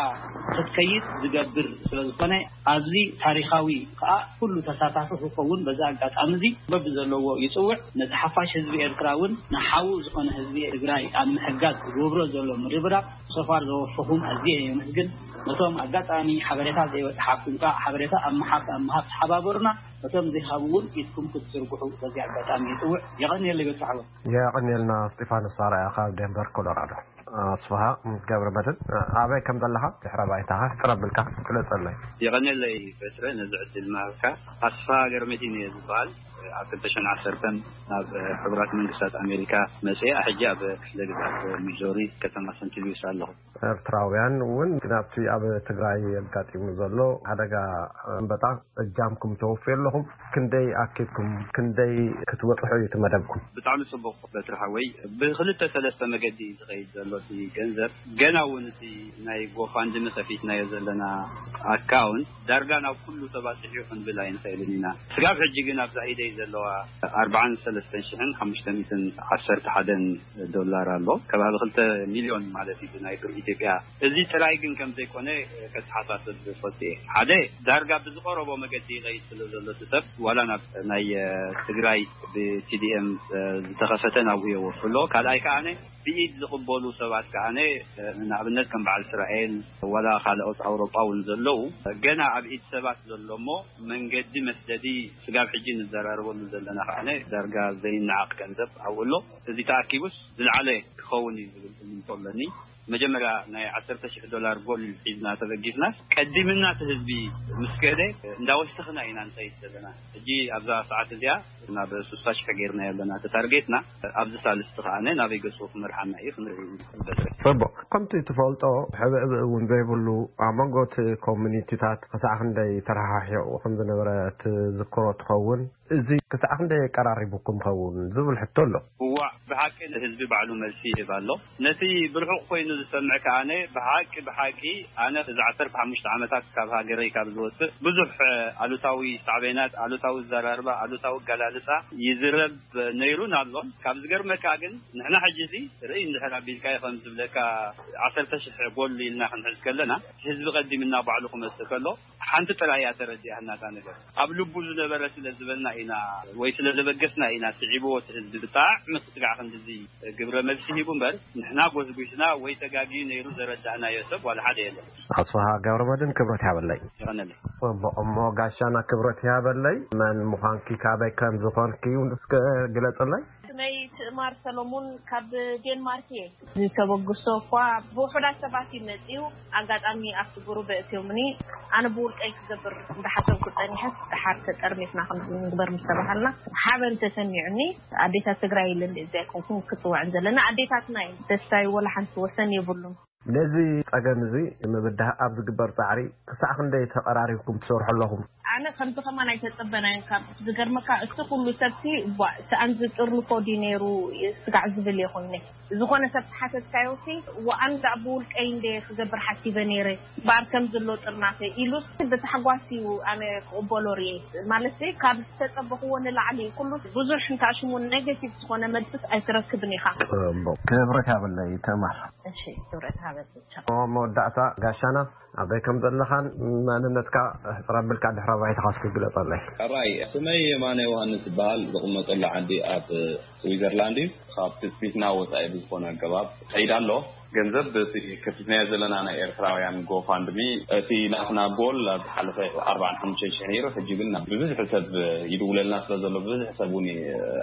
ክትከይድ ዝገብር ስለ ዝኾነ፣ ኣብዚ ታሪኻዊ ከዓ ኩሉ ተሳታፊ ክኸውን በዚ ኣጋጣሚ እዚ በብዘለዎ ይጽውዕ። ነቲ ሓፋሽ ህዝቢ ኤርትራ እውን ንሓዉ ዝኾነ ህዝቢ ትግራይ ኣብ ምሕጋዝ ዝገብሮ ዘሎ ምርብራብ ሶፋር ዘወፈኹም ኣዝየ የመስግን። ነቶም ኣጋጣሚ ሓበሬታ ዘይበጽሓኩም ከዓ ሓበሬታ ኣብ ምሓብ ኣብ ምሃብ ተሓባበሩና። ነቶም ዘይሃቡ እውን ኢድኩም ክትዝርግሑ በዚ ኣጋጣሚ ይጽውዕ። የቐንየለይ በትረ ሓወይ። የቐንየልና። እስጢፋኖስ ኣርኣያ ካብ ዴንቨር ኮሎራዶ። ኣስፍሃ ገብረ መድህን፣ ኣበይ ከም ዘለኻ ድሕረ ባይታኻ ሕጽር ኣቢልካ ግለጸለይ። የቐንየለይ በትረ ነዚ ዕድል ምሃብካ። ኣስፍሃ ገብረ መድህን እየ ዝበሃል። ኣብ ክልተ ሽሕን ዓሰርተን ናብ ሕቡራት መንግስታት ኣሜሪካ መጽየ፣ ሕጂ ኣብ ክፍለ ግዝኣት ሚዞሪ ከተማ ሰንት ሉዊስ ኣለኹ። ኤርትራውያን እውን ናብቲ ኣብ ትግራይ ኣጋጢሙ ዘሎ ሓደጋ ኣንበጣ እጃምኩም ተወፍዩ ኣለኹም። ክንደይ ኣኪብኩም፣ ክንደይ ክትበጽሑ እዩ እቲ መደብኩም? ብጣዕሚ ጽቡቕ በትሪ ሓወይ። ብክልተ ሰለስተ መገዲ እዩ ዝኸይድ ዘሎ እቲ ገንዘብ። ገና እውን እቲ ናይ ጎፋንድሚ ከፊትናዮ ዘለና ኣካውንት ዳርጋ ናብ ኩሉ ተባፂሑ እዩ ክንብል ኣይንኽእልን ኢና። ስጋብ ሕጂ ግን ኣብዛ ኢደይ ዘለዋ ኣርባዓን ሰለስተን ሽሕን ሓሙሽተ ሚእትን ዓሰርተ ሓደን ዶላር ኣሎ። ከባቢ ክልተ ሚልዮን ማለት እዩ ናይ ብር ኢትዮጵያ። እዚ ጥራይ ግን ከም ዘይኮነ ከተሓሳስብ ዝፈቱ እየ። ሓደ፣ ዳርጋ ብዝቐረቦ መገዲ ይኸይድ ስለ ዘሎ እቲ ሰብ፣ ዋላ ናብ ናይ፣ እ፣ ትግራይ ብቲ ዲ ኤም፣ እ፣ ዝተኸፈተ ናብኡ የወፍሎ። ካልኣይ ከኣ ብኢድ ዝቕበሉ ሰባት ሰባት ከዓነ ንኣብነት ከም በዓል እስራኤል ዋላ ካልኦት ኣውሮጳ እውን ዘለዉ ገና ኣብ ኢድ ሰባት ዘሎ እሞ መንገዲ መስደዲ ስጋብ ሕጂ ንዘራረበሉ ዘለና ከዓነ ዳርጋ ዘይነዓቕ ገንዘብ ኣብኡ ኣሎ። እዚ ተኣኪቡስ ዝለዓለ ክኸውን እዩ ዝብል እምንቶ ኣለኒ። መጀመርያ ናይ ዓሰርተ ሽሕ ዶላር ጎል ሒዝና ተበጊስናስ ቀዲምና እቲ ህዝቢ ምስ ከደ እንዳወሰኽና ኢና ንኸይድ ዘለና። ሕጂ ኣብዛ ሰዓት እዚኣ ናብ ስሳ ሽሕ ጌርና ኣለና እቲ ታርጌትና። ኣብዚ ሳልስቲ ከዓነ ናበይ ገጹ ክመርሓና እዩ ክንርኢ ኢና። ጽቡቅ። ከምቲ ትፈልጦ፣ ሕብእብእ እውን ዘይብሉ ኣብ መንጎ እቲ ኮሚኒቲታት ክሳዕ ክንደይ ተረሓሒቑ ከም ዝነበረ ትዝክሮ ትኸውን። እዚ ክሳዕ ክንደይ የቀራሪቡኩም ኸውን ዝብል ሕቶ ኣሎ። እዋእ፣ ብሓቂ ንህዝቢ ባዕሉ መልሲ ይህብ ኣሎ። ነቲ ብርሑቕ ኮይኑ ዝሰምዕ ከኣነ ብሓቂ፣ ብሓቂ ኣነ እዚ ዓሰርተ ሓሙሽተ ዓመታት ካብ ሃገረይ ካብ ዝወጽእ ብዙሕ ኣሉታዊ ሳዕቤናት፣ ኣሉታዊ ዘራርባ፣ ኣሉታዊ ኣገላልጻ ይዝረብ ነይሩን ኣሎን። ካብ ዝገርመካ ግን ንሕና ሕጂ እዚ ርእይ እንድሕር ኣቢልካዮ ከም ዝብለካ ዓሰርተ ሽሕ ጎል ኢልና ክንሕዝ ከለና ህዝቢ ቀዲምና ባዕሉ ክመጽእ ከሎ ሓንቲ ጥራይ እያ ተረዲኣና እታ ነገር። ኣብ ልቡ ዝነበረ ስለ ዝበልና ኢና ወይ ስለ ዘበገስና ኢና ስዒብዎ እቲ ህዝቢ ብጣዕሚ ክትጋዕ ክንድዚ ግብረ መልሲ ሂቡ እምበር ንሕና ጎስጒስና ወይ ተጋግዩ ነይሩ ዘረዳእናዮ ሰብ ዋላ ሓደ የለን። ኣስፍሃ ገብረመድህን ክብረት ይሃበለይ። ይቐነለይ። ጽቡቕ እሞ ጋሻና ክብረት ይሃበለይ። መን ምዃንኪ ካበይ ከም ዝኾንኪ እውን እስከ ግለጽለይ። ስመይ ትእማር ሰሎሙን ካብ ዴንማርክ እየ። ዝተበግሶ እኳ ብውሑዳት ሰባት እዩ መጺኡ። ኣጋጣሚ ኣብቲ ጉሩብ ኣእትዮምኒ። ኣነ ብውልቀይ ክገብር እንዳሓሰብኩ ጸኒሐስ፣ ደሓር ተጠርኒፍና ከምዚ ንግበር ምስ ተባሃልና፣ ሓበን ተሰሚዑኒ። ኣዴታት ትግራይ ኢለ እንደ እዚ ኣይኮንኩን ክጽውዐን ዘለና፣ ኣዴታትና እየን። ደስታይ ወላ ሓንቲ ወሰን የብሉን። ነዚ ጸገም እዚ ንምብዳህ ኣብ ዝግበር ጻዕሪ ክሳዕ ክንደይ ተቐራሪብኩም ትሰርሑ ኣለኹም? ኣነ ከምዚ ከማን ኣይተጸበናዮን። ካብ ዝገርመካ እቲ ኩሉ ሰብሲ፣ ቧ፣ ሰኣን ዝጥርንፎ ድዩ ነይሩ ስጋዕ ዝብል እየ ኮይነ። ዝኾነ ሰብ ተሓተትካዮሲ፣ ወኣን ደኣ ብውልቀይ እንደ ክገብር ሓሲበ ነይረ፣ እምበኣር ከም ዘሎ ጥርናፈ ኢሉስ ብታሕጓስ እዩ ኣነ ክቕበሎ ርእየ። ማለትሲ ካብ ዝተጸበኽዎ ንላዕሊ እዩ። ኩሉ ብዙሕ እንተኣሽሙ ኔጌቲቭ ዝኾነ መልስስ ኣይትረክብን ኢኻ። ጽቡቕ። ክብረት ይሃበለይ ትእማር። እሺ፣ ክብረት ይሃበለይ። ኣብ መወዳእታ ጋሻና ኣበይ ከም ዘለኻን መንነትካ ሕጽር ኣቢልካ ድሕረ ባይታኻ እስኪ ግለጸለይ። ሕራይ፣ ስመይ የማነ ዮሃንስ ይበሃል። ዝቕመጠሉ ዓዲ ኣብ ስዊዘርላንድ እዩ። ካብ ትጽቢትና ወጻኢ ብዝኾነ ኣገባብ ይኸይድ ኣሎ። ገንዘብ በቲ ከፊትናዮ ዘለና ናይ ኤርትራውያን ጎፋንድሚ፣ እቲ ናትና ጎል ኣብ ዝሓለፈ ኣርባዓን ሓሙሽተን ሽሕ ነይሩ። ሕጂ ግን ብብዝሒ ሰብ ይድውለልና ስለ ዘሎ፣ ብብዝሒ ሰብ እውን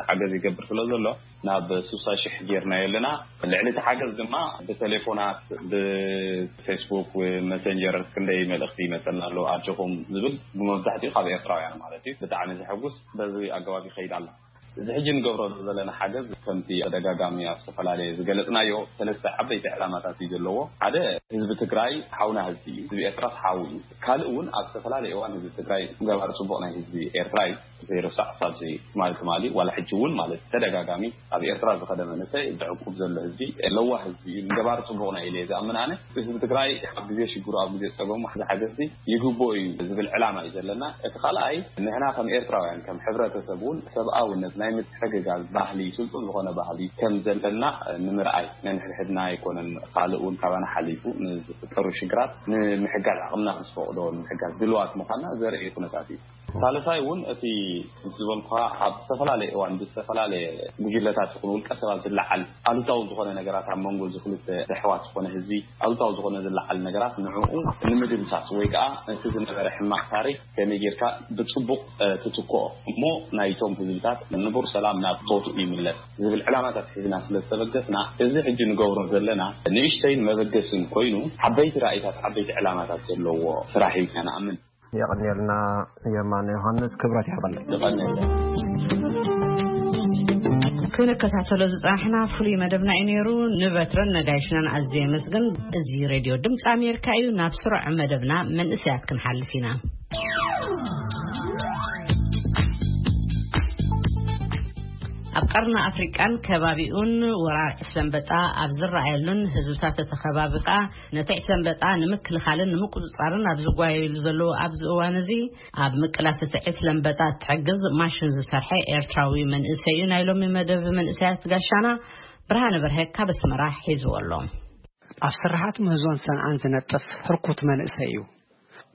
ሓገዝ ይገብር ስለ ዘሎ፣ ናብ ስሳ ሽሕ ጌርናዮ ኣለና። ልዕሊ እቲ ሓገዝ ድማ ብቴሌፎናት፣ ብፌስቡክ፣ ብመሰንጀር ክንደይ መልእኽቲ ይመጸና ኣሎ፣ ኣጆኹም ዝብል ብመብዛሕትኡ ካብ ኤርትራውያን ማለት እዩ። ብጣዕሚ ዘሐጉስ፣ በዚ ኣገባብ ይኸይድ ኣሎ። እዚ ሕጂ ንገብሮ ዘለና ሓገዝ ከምቲ ተደጋጋሚ ኣብ ዝተፈላለየ ዝገለጽናዮ ሰለስተ ዓበይቲ ዕላማታት እዩ ዘለዎ። ሓደ፣ ህዝቢ ትግራይ ሓውና ህዝቢ እዩ። ህዝቢ ኤርትራስ ሓው እዩ። ካልእ እውን ኣብ ዝተፈላለየ እዋን ህዝቢ ትግራይ ገባር ጽቡቕ ናይ ህዝቢ ኤርትራ እዩ። ዘይረሳዕ ሳብ ትማሊ ትማሊ ዋላ ሕጂ እውን ማለት ተደጋጋሚ ኣብ ኤርትራ ዝኸደ መንእሰይ ዘዕቁብ ዘሎ ህዝቢ ለዋህ ህዝቢ እዩ። ንገባር ጽቡቕ ናይ ኢለ ዝኣምን ኣነ ህዝቢ ትግራይ ኣብ ግዜ ሽግሩ ኣብ ግዜ ጸገሙ ዝሓገዝ ይግብኦ እዩ ዝብል ዕላማ እዩ ዘለና። እቲ ካልኣይ ንሕና ከም ኤርትራውያን ከም ሕብረተሰብ እውን ሰብኣውነት ናይ ምትሕግጋዝ ባህሊ ስልጡን ዝኾነ ባህሊ ከም ዘለና ንምርኣይ ነንሕድሕድና ኣይኮነን ካልእ እውን ካባና ሓሊፉ ንዝፍጠሩ ሽግራት ንምሕጋዝ ዓቕምና ምስ ፈቕዶ ንምሕጋዝ ድልዋት ምዃንና ዘርኢ ኩነታት እዩ። ሳልሳይ እውን እቲ ምስ ዝበልኩኻ ኣብ ዝተፈላለየ እዋን ብዝተፈላለየ ጉጅለታት ይኹን ውልቀ ሰባት ዝለዓል ኣሉታዊ ዝኾነ ነገራት ኣብ መንጎ እዚ ክልተ ኣሕዋት ዝኾነ ህዝቢ ኣሉታዊ ዝኾነ ዝለዓል ነገራት ንዕኡ ንምድምሳስ ወይ ከዓ እቲ ዝነበረ ሕማቕ ታሪክ ከመይ ጌርካ ብፅቡቕ ትትክኦ እሞ ናይቶም ህዝብታት ንቡር ሰላም ናብ ቦትኡ ይምለስ ዝብል ዕላማታት ሒዝና ስለ ዝተበገስና እዚ ሕጂ ንገብሮ ዘለና ንእሽተይን መበገስን ኮይኑ ዓበይቲ ራእይታት ዓበይቲ ዕላማታት ዘለዎ ስራሕ እዩ ኢልና ንኣምን። የቐንየልና የማነ ዮሃንስ፣ ክብረት ይሃበልና። ክንከታተሎ ዝጸናሕና ፍሉይ መደብና እዩ ነይሩ። ንበትረን ነጋይሽናን ኣዝየ የመስግን። እዚ ሬድዮ ድምፂ ኣሜሪካ እዩ። ናብ ስሩዕ መደብና መንእሰያት ክንሓልፍ ኢና። ኣብ ቀርኒ ኣፍሪቃን ከባቢኡን ወራር ዕስለ ኣንበጣ ኣብ ዝረኣየሉን ህዝብታት እቲ ከባቢ ከኣ ነቲ ዕስለ ኣንበጣ ንምክልኻልን ንምቁጽጻርን ኣብ ዝጓየሉ ዘለዉ ኣብዚ እዋን እዚ ኣብ ምቅላስ እቲ ዕስለ ኣንበጣ እትሕግዝ ማሽን ዝሰርሐ ኤርትራዊ መንእሰይ እዩ። ናይ ሎሚ መደብ መንእሰያት ጋሻና ብርሃነ በርሀ ካብ ኣስመራ ሒዝዎ ኣሎ። ኣብ ስራሓት ምህዞን ሰንዓን ዝነጥፍ ህርኩት መንእሰይ እዩ።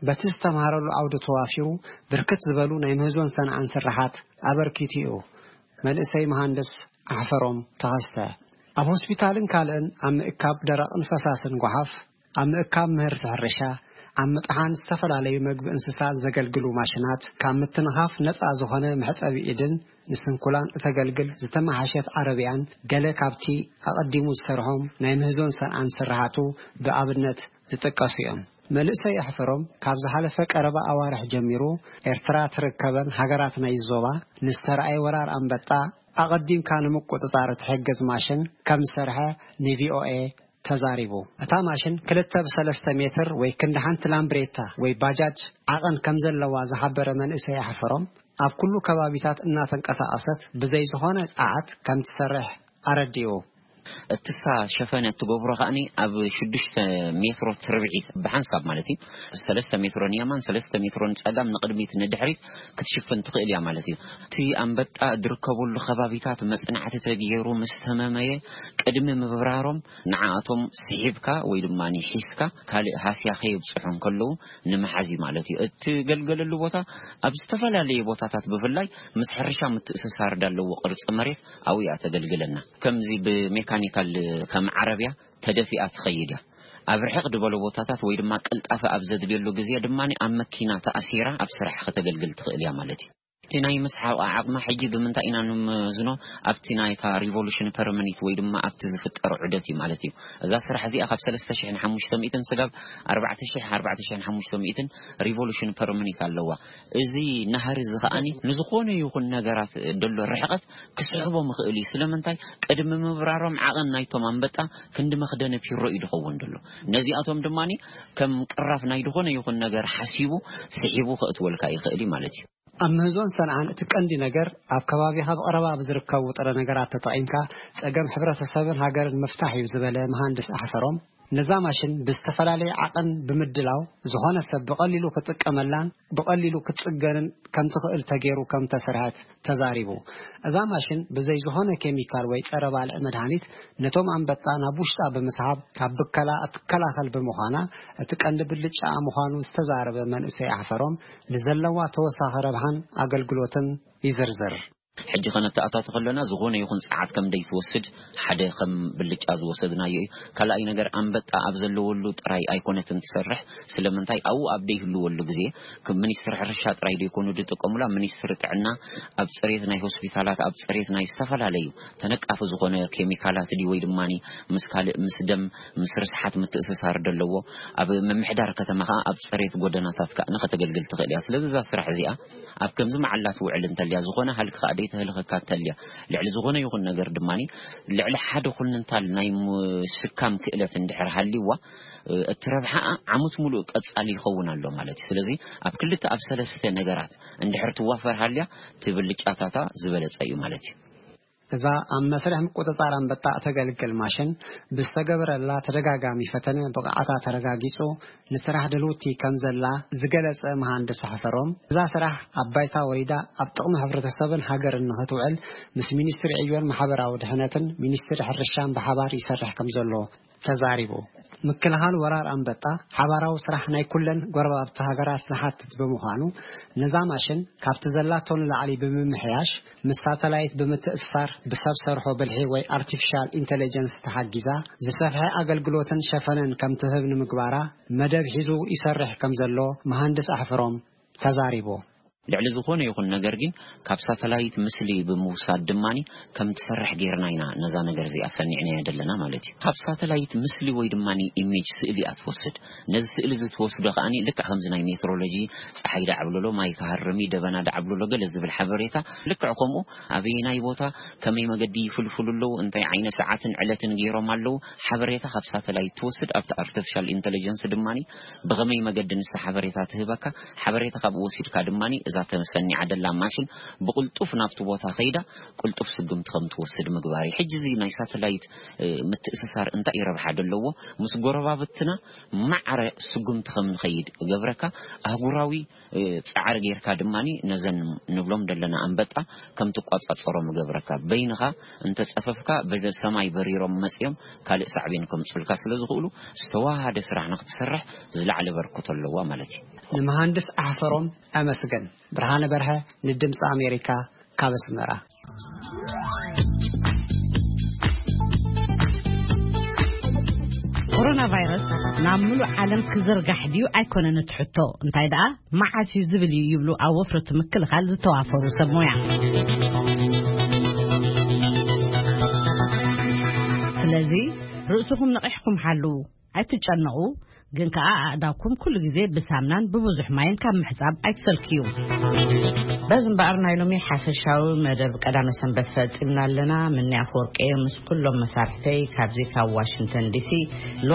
በቲ ዝተምሃረሉ ዓውዲ ተዋፊሩ ብርክት ዝበሉ ናይ ምህዞን ሰንዓን ስራሓት ኣበርኪቱ እዩ። መንእሰይ መሃንድስ ኣሕፈሮም ተኸስተ። ኣብ ሆስፒታልን ካልእን ኣብ ምእካብ ደረቕን ፈሳስን ጓሓፍ፣ ኣብ ምእካብ ምህርቲ ሕርሻ፣ ኣብ ምጥሓን ዝተፈላለዩ መግቢ እንስሳት ዘገልግሉ ማሽናት፣ ካብ ምትንኻፍ ነጻ ዝኾነ መሕጸቢ ኢድን ንስንኩላን እተገልግል ዝተመሓሸት ዓረብያን ገለ ካብቲ ኣቐዲሙ ዝሰርሖም ናይ ምህዞን ሰንዓን ስርሓቱ ብኣብነት ዝጥቀሱ እዮም። መንእሰይ ኣሕፈሮም ካብ ዝሓለፈ ቀረባ ኣዋርሕ ጀሚሩ ኤርትራ ትርከበን ሃገራት ናይ ዞባ ንዝተረኣየ ወራር ኣንበጣ ኣቐዲምካ ንምቁጽጻር እትሕግዝ ማሽን ከም ዝሰርሐ ንቪኦኤ ተዛሪቡ። እታ ማሽን ክልተ ብሰለስተ ሜትር ወይ ክንዲ ሓንቲ ላምብሬታ ወይ ባጃጅ ዓቐን ከም ዘለዋ ዝሓበረ መንእሰይ ኣሕፈሮም፣ ኣብ ኩሉ ከባቢታት እናተንቀሳቐሰት ብዘይ ዝኾነ ጸዓት ከም ትሰርሕ ኣረዲኡ። እትሳ ሸፈነ እትገብሮ ከኣኒ ኣብ ሽዱሽተ ሜትሮ ትርብዒት ብሓንሳብ ማለት እዩ። ሰለስተ ሜትሮ ንየማን፣ ሰለስተ ሜትሮ ንጸጋም፣ ንቕድሚት ንድሕሪት ክትሽፍን ትኽእል እያ ማለት እዩ። እቲ ኣንበጣ ዝርከበሉ ከባቢታት መጽናዕቲ ተገይሩ ምስ ተመመየ፣ ቅድሚ ምብራሮም ንዓኣቶም ስሒብካ ወይ ድማ ሒዝካ ካልእ ሃስያ ከየብጽሑ እንከለዉ ንምሓዝ እዩ ማለት እዩ። እትገልገለሉ ቦታ ኣብ ዝተፈላለየ ቦታታት ብፍላይ ምስ ሕርሻ ምትእስሳር ዳለዎ ቅርጺ መሬት ኣብኡ እያ ተገልግለና። ከምዚ ብሜካኒካል ከም ዓረብያ ተደፊኣ ትኸይድ እያ። ኣብ ርሕቕ ዝበለ ቦታታት ወይ ድማ ቅልጣፈ ኣብ ዘድልየሉ ግዜ ድማ ኣብ መኪና ተኣሲራ ኣብ ስራሕ ከተገልግል ትኽእል እያ ማለት እዩ። እቲ ናይ ምስሓቕ ዓቕማ ሕጂ ብምንታይ ኢና ንምዝኖ? ኣብቲ ናይታ ሪቮሉሽን ፐርመኒት ወይ ድማ ኣብቲ ዝፍጠር ዑደት እዩ ማለት እዩ። እዛ ስራሕ እዚኣ ካብ ሰለስተ ሽሕን ሓሙሽተ ሚእትን ስጋብ ኣርባዕተ ሽሕ፣ ኣርባዕተ ሽሕን ሓሙሽተ ሚእትን ሪቮሉሽን ፐርመኒት ኣለዋ። እዚ ናህሪ እዚ ከኣኒ ንዝኾነ ይኹን ነገራት ደሎ ርሕቐት ክስሕቦ ምኽእል እዩ። ስለምንታይ? ቅድሚ ምብራሮም ዓቐን ናይቶም ኣንበጣ ክንዲ መኽደነ ፒሮ እዩ ዝኸውን ደሎ። ነዚኣቶም ድማ ከም ቅራፍ ናይ ዝኾነ ይኹን ነገር ሓሲቡ ስሒቡ ከእትወልካ ይኽእል እዩ ማለት እዩ። ኣብ ምህዞን ሰንዓን እቲ ቀንዲ ነገር ኣብ ከባቢኻ ብቐረባ ብዝርከቡ ጥረ ነገራት ተጠቒምካ ጸገም ሕብረተሰብን ሃገርን ምፍታሕ እዩ ዝበለ መሃንድስ ኣሕፈሮም፣ ነዛ ማሽን ብዝተፈላለየ ዓቐን ብምድላው ዝኾነ ሰብ ብቐሊሉ ክጥቀመላን ብቐሊሉ ክትጽገንን ከም ትኽእል ተገይሩ ከም ተሰርሐት ተዛሪቡ። እዛ ማሽን ብዘይ ዝኾነ ኬሚካል ወይ ጸረ ባልዕ መድሃኒት ነቶም ኣንበጣ ናብ ውሽጣ ብምስሓብ ካብ ብከላ እትከላኸል ብምዃና እቲ ቀንዲ ብልጫኣ ምዃኑ ዝተዛረበ መንእሰይ ኣሕፈሮም ንዘለዋ ተወሳኺ ረብሓን ኣገልግሎትን ይዝርዝር። ሕጂ ከነተኣታቶ ከለና ዝኾነ ይኹን ጸዓት ከም ደይትወስድ ሓደ ከም ብልጫ ዝወሰድናዮ እዩ። ካልኣይ ነገር ኣንበጣ ኣብ ዘለወሉ ጥራይ ኣይኮነትን ትሰርሕ። ስለምንታይ ኣብኡ ኣብ ደይህልወሉ ግዜ ከም ሚኒስትሪ ሕርሻ ጥራይ ደይኮኑ ዝጥቀሙላ፣ ሚኒስትሪ ጥዕና ኣብ ጽሬት ናይ ሆስፒታላት፣ ኣብ ጽሬት ናይ ዝተፈላለዩ ተነቃፊ ዝኾነ ኬሚካላት ድዩ ወይ ድማ ምስ ካልእ ምስ ደም ምስ ርስሓት ምትእስሳር ደለዎ ኣብ ምምሕዳር ከተማ ከኣ ኣብ ጽሬት ጎደናታት ከኣ ንኸተገልግል ትኽእል እያ። ስለዚ እዛ ስራሕ እዚኣ ኣብ ከምዚ መዓላ ትውዕል እንተልያ፣ ዝኾነ ሃልኪ ከኣ ደይተህልኸካ እንተልያ፣ ልዕሊ ዝኾነ ይኹን ነገር ድማ ልዕሊ ሓደ ኩንታል ናይ ምሽካም ክእለት እንድሕር ሃልይዋ፣ እቲ ረብሓኣ ዓመት ሙሉእ ቀጻሊ ይኸውን ኣሎ ማለት እዩ። ስለዚ ኣብ ክልተ ኣብ ሰለስተ ነገራት እንድሕር ትዋፈር ሃልያ፣ እቲ ብልጫታታ ዝበለጸ እዩ ማለት እዩ። እዛ ኣብ መስርሕ ምቁጽጻር ኣንበጣ እተገልግል ማሽን ብዝተገበረላ ተደጋጋሚ ፈተነ ብቕዓታ ተረጋጊጹ ንስራሕ ድልውቲ ከም ዘላ ዝገለጸ መሃንድስ ኣሕፈሮም፣ እዛ ስራሕ ኣብ ባይታ ወሪዳ ኣብ ጥቕሚ ሕብረተሰብን ሃገርን ንኽትውዕል ምስ ሚኒስትሪ ዕዮን ማሕበራዊ ድሕነትን ሚኒስትሪ ሕርሻን ብሓባር ይሰርሕ ከም ዘሎ ተዛሪቡ። ምክልኻል ወራር ኣንበጣ ሓባራዊ ስራሕ ናይ ኩለን ጎረባብቲ ሃገራት ዝሓትት ብምዃኑ፣ ነዛ ማሽን ካብቲ ዘላቶ ንላዕሊ ብምምሕያሽ፣ ምስ ሳተላይት ብምትእስሳር፣ ብሰብ ሰርሖ ብልሒ ወይ ኣርቲፊሻል ኢንተለጀንስ ተሓጊዛ ዝሰፍሐ ኣገልግሎትን ሸፈነን ከም ትህብ ንምግባራ መደብ ሒዙ ይሰርሕ ከም ዘሎ መሃንድስ ኣሕፍሮም ተዛሪቡ። ልዕሊ ዝኾነ ይኹን ነገር ግን ካብ ሳተላይት ምስሊ ብምውሳድ ድማኒ ከም ትሰርሕ ጌርና ኢና ነዛ ነገር እዚኣ ሰኒዕናያ ዘለና ማለት እዩ። ካብ ሳተላይት ምስሊ ወይ ድማኒ ኢሜጅ ስእሊ እያ ትወስድ። ነዚ ስእሊ እዚ ትወስዶ ከኣኒ ልክዕ ከምዚ ናይ ሜትሮሎጂ፣ ጸሓይ ዳዕብለሎ፣ ማይ ክሃርም እዩ፣ ደበና ዳዕብለሎ ገለ ዝብል ሓበሬታ ልክዕ ከምኡ ኣበየናይ ቦታ ከመይ መገዲ ይፍልፍሉ ኣለዉ፣ እንታይ ዓይነት ሰዓትን ዕለትን ገይሮም ኣለዉ፣ ሓበሬታ ካብ ሳተላይት ትወስድ። ኣብቲ ኣርቲፊሻል ኢንተለጀንስ ድማኒ ብኸመይ መገዲ ንሳ ሓበሬታ ትህበካ፣ ሓበሬታ ካብኡ ወሲድካ ድማኒ እዛ ተሰኒዓ ደላ ማሽን ብቕልጡፍ ናብቲ ቦታ ከይዳ ቅልጡፍ ስጉምቲ ከም ትወስድ ምግባር እዩ። ሕጂ እዚ ናይ ሳተላይት፣ እ፣ ምትእስሳር እንታይ ረብሓ ደለዎ? ምስ ጎረባብትና ማዕረ ስጉምቲ ከም ንኸይድ እገብረካ። ኣህጉራዊ፣ እ፣ ጻዕሪ ጌርካ ድማኒ ነዘን ንብሎም ደለና ኣንበጣ ከም ትቋጻጸሮም እገብረካ። በይንኻ እንተጸፈፍካ ብሰማይ በሪሮም መጽዮም ካልእ ሳዕቤን ከምጹልካ ስለ ዝኽእሉ ዝተዋሃደ ስራሕ ንኽትሰርሕ ዝለዓለ በርክቶ ኣለዋ ማለት እዩ። ንመሃንድስ ኣሕፈሮም ኣመስገን። ብርሃነ በርሀ ንድምፂ ኣሜሪካ ካብ ኣስመራ። ኮሮና ቫይረስ ናብ ሙሉእ ዓለም ክዝርጋሕ ድዩ ኣይኮነን እቲ ሕቶ፣ እንታይ ደኣ መዓስ እዩ ዝብል እዩ ይብሉ ኣብ ወፍሪ እቲ ምክልኻል ዝተዋፈሩ ሰብ ሞያ። ስለዚ ርእስኹም ነቒሕኩም ሓልዉ፣ ኣይትጨነቑ፣ ግን ከኣ ኣእዳውኩም ኩሉ ግዜ ብሳምናን ብብዙሕ ማይን ካብ ምሕጻብ ኣይትሰልክዩ። በዚ እምበኣር ናይ ሎሚ ሓፈሻዊ መደብ ቀዳመ ሰንበት ፈጺምና ኣለና። ምንያ ኣፈወርቂ ምስ ኩሎም መሳርሕተይ ካብዚ ካብ ዋሽንግተን ዲሲ